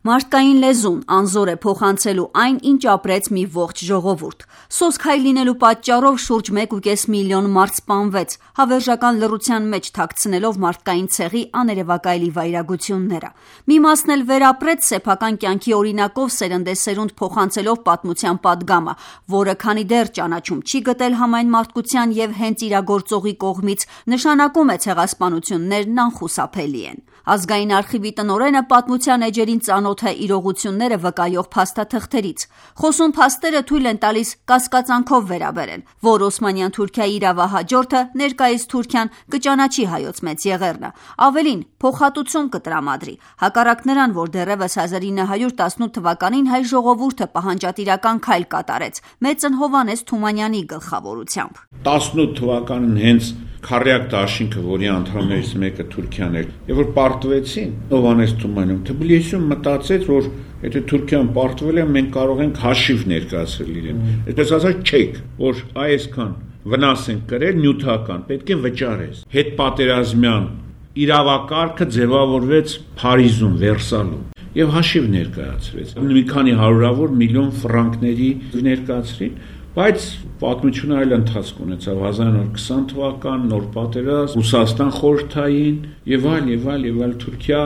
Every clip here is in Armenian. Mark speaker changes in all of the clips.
Speaker 1: Մարդկային լեզուն անզոր է փոխանցելու այն, ինչ ապրեց մի ողջ ժողովուրդ։ Սոսկ հայ լինելու պատճառով շուրջ 1,5 միլիոն մարդ սպանվեց, հավերժական լռության մեջ թաքցնելով մարդկային ցեղի աներևակայելի վայրագությունները։ Մի մասն էլ վերապրեց սեփական կյանքի օրինակով սերնդեսերունդ փոխանցելով պատմության պատգամը, որը քանի դեռ ճանաչում չի գտել համայն մարդկության եւ հենց իրագործողի կողմից, նշանակում է ցեղասպանություններն անխուսափելի են։ Ազգային արխիվի տնօրենը պատմության էջերին ծանոթ է իրողությունները վկայող փաստաթղթերից։ Խոսուն փաստերը թույլ են տալիս կասկածանքով վերաբերել, որ Օսմանյան Թուրքիայի իրավահաջորդը ներկայիս Թուրքիան կճանաչի հայոց մեծ եղեռնը, ավելին փոխհատուցում կտրամադրի, հակառակ նրան, որ դեռևս 1918 թվականին հայ ժողովուրդը պահանջատիրական քայլ կատարեց մեծն Հովհաննես Թումանյանի գլխավորությամբ։
Speaker 2: 18 թվականին հենց Քարյակ դաշինքը, որի անդամներից մեկը Թուրքիան էր, եւ որ պարտվեցին Հովհաննես Թումանյանը, Թբիլիսիում մտածեց, որ եթե Թուրքիան պարտվել է, մենք կարող ենք հաշիվ ներկայացրել իրեն։ Այսպես ասած, չեք, որ այսքան վնաս են կրել նյութական, պետք է վճարես։ Հետպատերազմյան իրավակարգը ձևավորվեց Փարիզում, Վերսալում եւ հաշիվ ներկայացրեց։ Մի քանի հարյուրավոր միլիոն ֆրանկների ներկայացրին, բայց պատմությունը այլ ընթացք ունեցավ 1920 թվական, նոր պատերազմ, Ռուսաստան խորհրդային եւ այլ Թուրքիա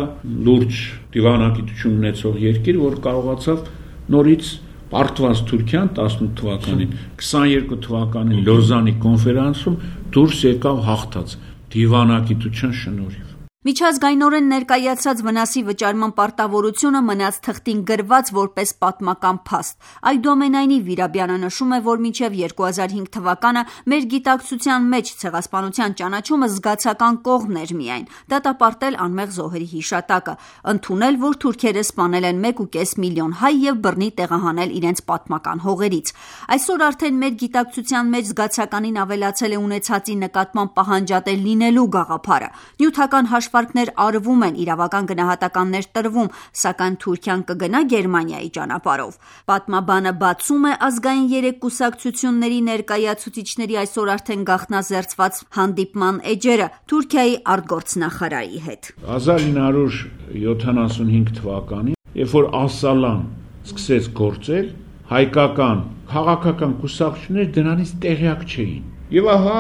Speaker 2: լուրջ դիվանագիտություն ունեցող երկիր, որ կարողացավ նորից պարտված Թուրքիան 18 թվականին, 22 թվականին Լոզանի կոնֆերանսում դուրս եկավ հաղթած դիվանագիտության շնորհիվ։
Speaker 1: Միջազգայինորեն ներկայացած վնասի վճարման պարտավորությունը մնաց թղթին գրված որպես պատմական փաստ։ Այդուամենայնիվ Վիրաբյանը նշում է, որ մինչև 2005 թվականը մեր գիտակցության մեջ ցեղասպանության ճանաչումը զգացական կողմն էր միայն, դատապարտել անմեղ զոհերի հիշատակը, ընդունել, որ թուրքերը սպանել են 1,5 միլիոն հայ եւ բռնի տեղահանել իրենց պատմական հողերից։ Այսօր արդեն մեր գիտակցության մեջ զգացականին ավելացել է ունեցածի նկատմամբ պահանջատեր լինելու գաղափարը։ Նյութական հաշվարկներ արվում են, իրավական գնահատականներ տրվում, սակայն Թուրքիան կգնա Գերմանիայի ճանապարհով։ Պատմաբանը բացում է ազգային երեք կուսակցությունների ներկայացուցիչների այսօր արդեն գաղտնազերծված հանդիպման էջերը Թուրքիայի արտգործնախարարի հետ։
Speaker 2: 1975 թվականին, երբ որ Ասալան սկսեց գործել, հայկական քաղաքական կուսակցությունները դրանից տեղյակ չէին։ Եվ ահա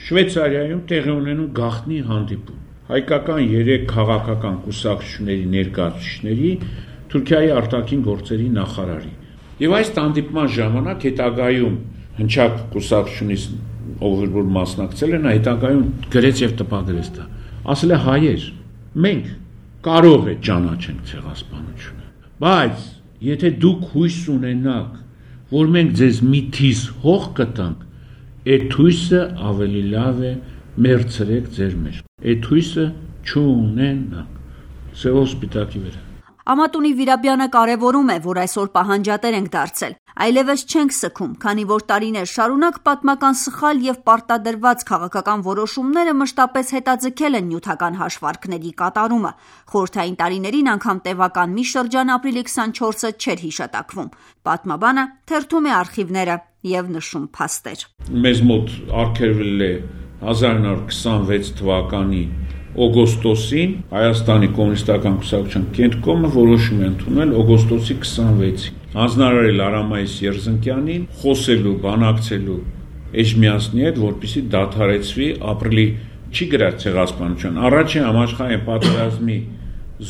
Speaker 2: Շվեյցարիայում տեղի ունենում գաղտնի հանդիպում հայկական 3 քաղաքական կուսակցությունների ներկայացուցիչների, Թուրքիայի արտաքին գործերի նախարարի։ Եվ այս հանդիպման ժամանակ հետագայում հնչակ կուսակցությունից ով որ մասնակցել են, հետագայում գրեց եւ տպագրեց դա։ Ասել է հայեր, մենք կարող է ճանաչենք ցեղասպանությունը, բայց եթե դուք հույս ունենաք, որ մենք ձեզ մի թիզ հող կտանք, այդ հույսը ավելի լավ է մերցրեք ձեր մեջ։ Այդ հույսը չունենանք։ Սևով սպիտակի վրա։
Speaker 1: Ամատունի Վիրաբյանը կարևորում է, որ այսօր պահանջատեր ենք դարձել, այլևս չենք սգում, քանի որ տարիներ շարունակ պատմական սխալ եւ պարտադրված քաղաքական որոշումները մշտապես հետաձգել են նյութական հաշվարկների կատարումը։ Խորհրդային տարիներին անգամ տևական մի շրջան ապրիլի 24-ը չէր հիշատակվում։ Պատմաբանը թերթում է արխիվները եւ նշում փաստեր։
Speaker 2: Մեզ մոտ արգելվել է 1926 թվականի օգոստոսին Հայաստանի կոմունիստական կուսակցության կենտրոնը որոշում է ընդունել օգոստոսի 26-ին հանձնարարել Արամայիս Երզնկյանին խոսելու, բանակցելու Էջմիածնի հետ, որպեսզի դադարեցվի ապրիլի չի գրած ցեղասպանության առաջին համաշխարհային պատերազմի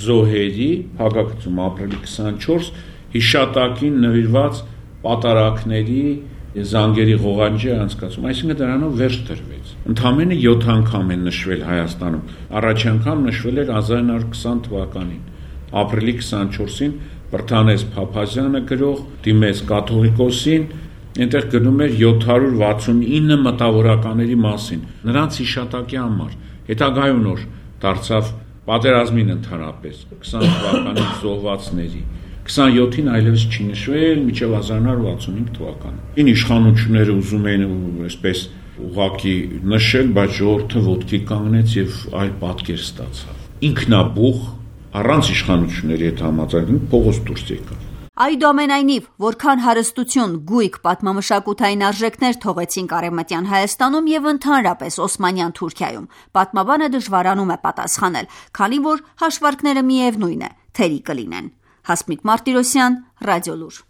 Speaker 2: զոհերի փակագծում ապրիլի 24 հիշատակին նվիրված պատարակների զանգերի ղողանջի անցկացում, այսինքն դրանով վերջ տրվեց։ Ընդամենը 7 անգամ են նշվել Հայաստանում։ Առաջին անգամ նշվել էր 1920 թվականին, ապրիլի 24-ին Բրթանես Փափազյանը գրող դիմեց կաթողիկոսին, այնտեղ գրում էր 769 մտավորականների մասին, նրանց հիշատակի համար։ Հետագայում նոր դարձավ պատերազմին ընդհանրապես 20 թվականի զոհվածների 27-ին այլևս չի նշվել մինչև 1965 թվականը։ Ին իշխանությունները ուզում էին այսպես ուղղակի նշել, բայց ժողովուրդը ոտքի կանգնեց եւ այլ պատկեր ստացավ։ Ինքնաբուխ առանց իշխանությունների հետ համաձայնելու փողոց դուրս եկավ։
Speaker 1: Այդուամենայնիվ, որքան հարստություն, գույք, պատմամշակութային արժեքներ թողեցին Արևմտյան Հայաստանում եւ ընդհանրապես Օսմանյան Թուրքիայում, պատմաբանը դժվարանում է պատասխանել, քանի որ հաշվարկները միևնույն է, թերի կլինեն։ Հասմիկ Մարտիրոսյան, Ռադիոլուր։